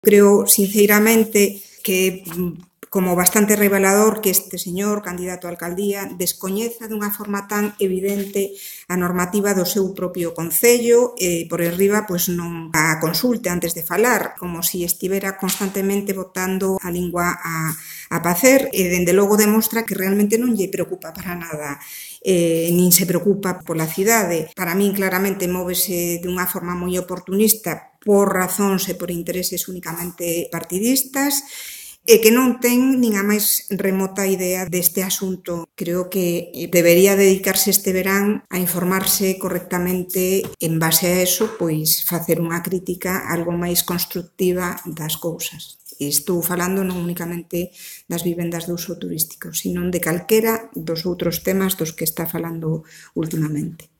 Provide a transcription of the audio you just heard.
Creo, sinceramente, que como bastante revelador que este señor, candidato á alcaldía, descoñeza dunha forma tan evidente a normativa do seu propio concello e, por enriba, non a consulte antes de falar, como se estivera constantemente botando a lingua a pacer e, dende logo, demostra que realmente non lle preocupa para nada nin se preocupa pola cidade. Para min, claramente, móvese dunha forma moi oportunista por razóns e por intereses únicamente partidistas e que non ten nin a máis remota idea deste asunto. Creo que debería dedicarse este verán a informarse correctamente en base a eso, facer unha crítica algo máis constructiva das cousas. Estou falando non únicamente das vivendas de uso turístico, sino de calquera dos outros temas dos que está falando últimamente.